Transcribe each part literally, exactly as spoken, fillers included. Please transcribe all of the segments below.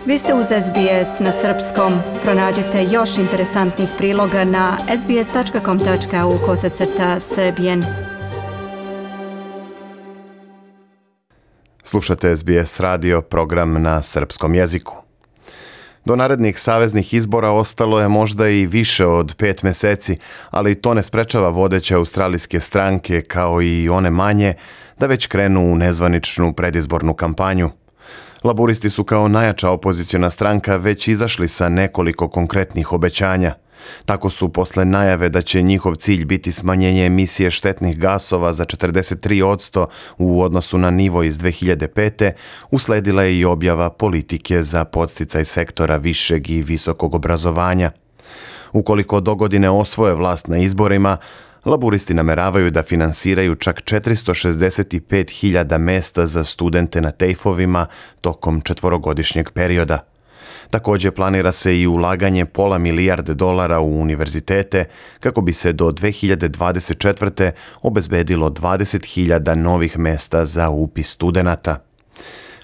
Vi ste uz S B S na srpskom. Pronađite još interesantnih priloga na sbs.com tačka au kosacrta srbijen. Slušate S B S radio, program na srpskom jeziku. Do narednih saveznih izbora ostalo je možda i više od pet meseci, ali to ne sprečava vodeće australijske stranke, kao i one manje, da već krenu u nezvaničnu predizbornu kampanju. Laburisti su kao najjača opoziciona stranka već izašli sa nekoliko konkretnih obećanja. Tako su posle najave da će njihov cilj biti smanjenje emisije štetnih gasova za četrdeset tri posto u odnosu na nivo iz dve hiljade pete. usledila je i objava politike za podsticaj sektora višeg i visokog obrazovanja. Ukoliko dogodine osvoje vlast na izborima, laburisti nameravaju da finansiraju čak četiristo šezdeset pet hiljada mesta za studente na tejfovima tokom četvorogodišnjeg perioda. Također planira se i ulaganje pola milijarde dolara u univerzitete kako bi se do dve hiljade dvadeset četvrte. obezbedilo dvadeset hiljada novih mesta za upis studenata.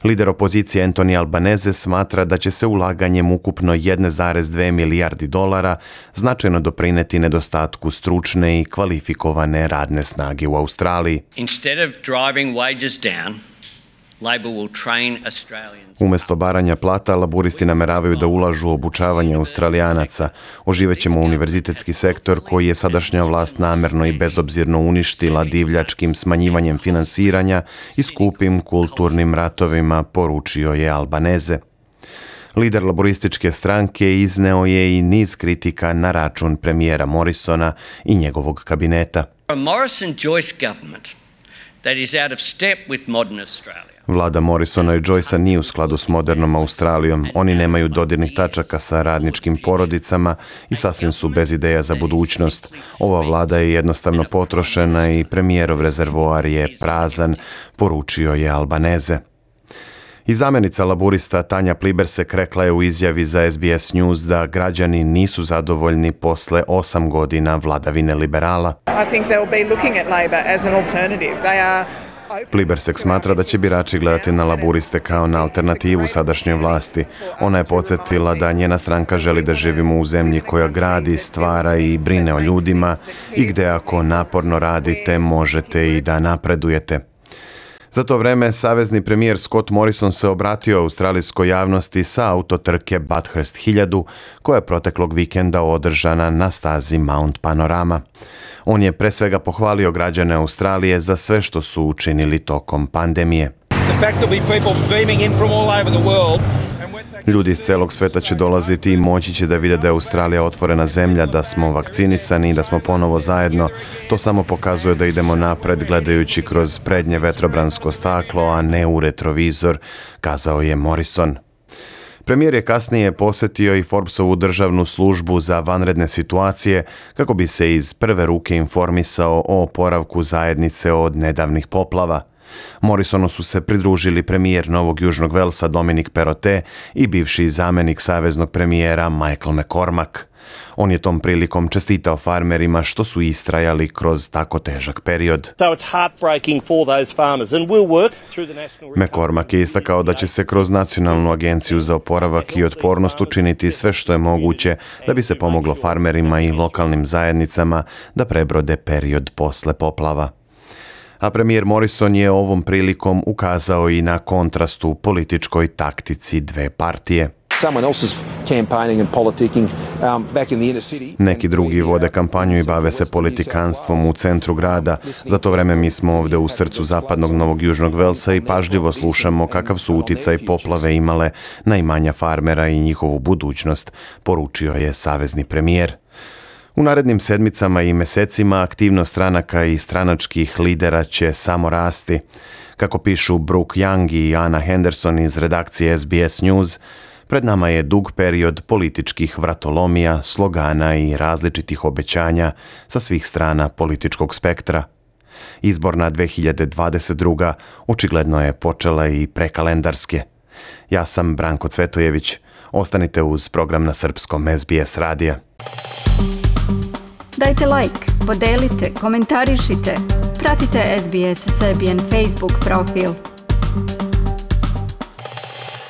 Lider opozicije Anthony Albanese smatra da će se ulaganjem ukupno jedna zarez dve milijardi dolara značajno doprineti nedostatku stručne i kvalifikovane radne snage u Australiji. Instead of driving wages down, Labor will train Australians. Umesto baranja plata, laburisti nameravaju da ulažu u obučavanje Australijanaca. Oživećemo univerzitetski sektor koji je sadašnja vlast namerno i bezobzirno uništila divljačkim smanjivanjem finansiranja i skupim kulturnim ratovima, poručio je Albanese. Lider laborističke stranke izneo je i niz kritika na račun premijera Morrisona i njegovog kabineta. A Morrison-Joyce government that is out of step with modern Australia. Vlada Morrisona i Joycea nije u skladu s modernom Australijom. Oni nemaju dodirnih tačaka sa radničkim porodicama i sasvim su bez ideja za budućnost. Ova vlada je jednostavno potrošena i premijerov rezervoar je prazan, poručio je Albanese. I zamenica laburista Tanja Plibersek rekla je u izjavi za S B S News da građani nisu zadovoljni posle osam godina vladavine liberala. I think they'll be looking at Labor as an alternative. They are Plibersek smatra da će birači gledati na laburiste kao na alternativu sadašnjoj vlasti. Ona je podsjetila da njena stranka želi da živimo u zemlji koja gradi, stvara i brine o ljudima i gde ako naporno radite možete i da napredujete. Za to vreme, savezni premijer Scott Morrison se obratio australijskoj javnosti sa autotrke Bathurst hiljadu, koja je proteklog vikenda održana na stazi Mount Panorama. On je pre svega pohvalio građane Australije za sve što su učinili tokom pandemije. Ljudi iz celog sveta će dolaziti i moći će da vide da je Australija otvorena zemlja, da smo vakcinisani i da smo ponovo zajedno. To samo pokazuje da idemo napred gledajući kroz prednje vetrobransko staklo, a ne u retrovizor, kazao je Morrison. Premijer je kasnije posetio i Forbesovu državnu službu za vanredne situacije kako bi se iz prve ruke informisao o oporavku zajednice od nedavnih poplava. Morrisonu su se pridružili premijer Novog Južnog Velsa Dominic Perrottet i bivši zamenik saveznog premijera Michael McCormack. On je tom prilikom čestitao farmerima što su istrajali kroz tako težak period. McCormack je istakao da će se kroz Nacionalnu agenciju za oporavak i otpornost učiniti sve što je moguće da bi se pomoglo farmerima i lokalnim zajednicama da prebrode period posle poplava. A premijer Morrison je ovom prilikom ukazao i na kontrast u političkoj taktici dve partije. Neki drugi vode kampanju i bave se politikanstvom u centru grada. Za to vreme mi smo ovde u srcu zapadnog Novog Južnog Velsa i pažljivo slušamo kakav su uticaj poplave imale na imanja farmera i njihovu budućnost, poručio je savezni premijer. U narednim sedmicama i mesecima aktivnost stranaka i stranačkih lidera će samo rasti. Kako pišu Brooke Young i Anna Henderson iz redakcije S B S News, pred nama je dug period političkih vratolomija, slogana i različitih obećanja sa svih strana političkog spektra. Izborna dve hiljade dvadeset druga očigledno je počela i prekalendarske. Ja sam Branko Cvetojević. Ostanite uz program na srpskom S B S radija. Dajte like, podelite, komentarišite. Pratite S B S Serbian Facebook profil.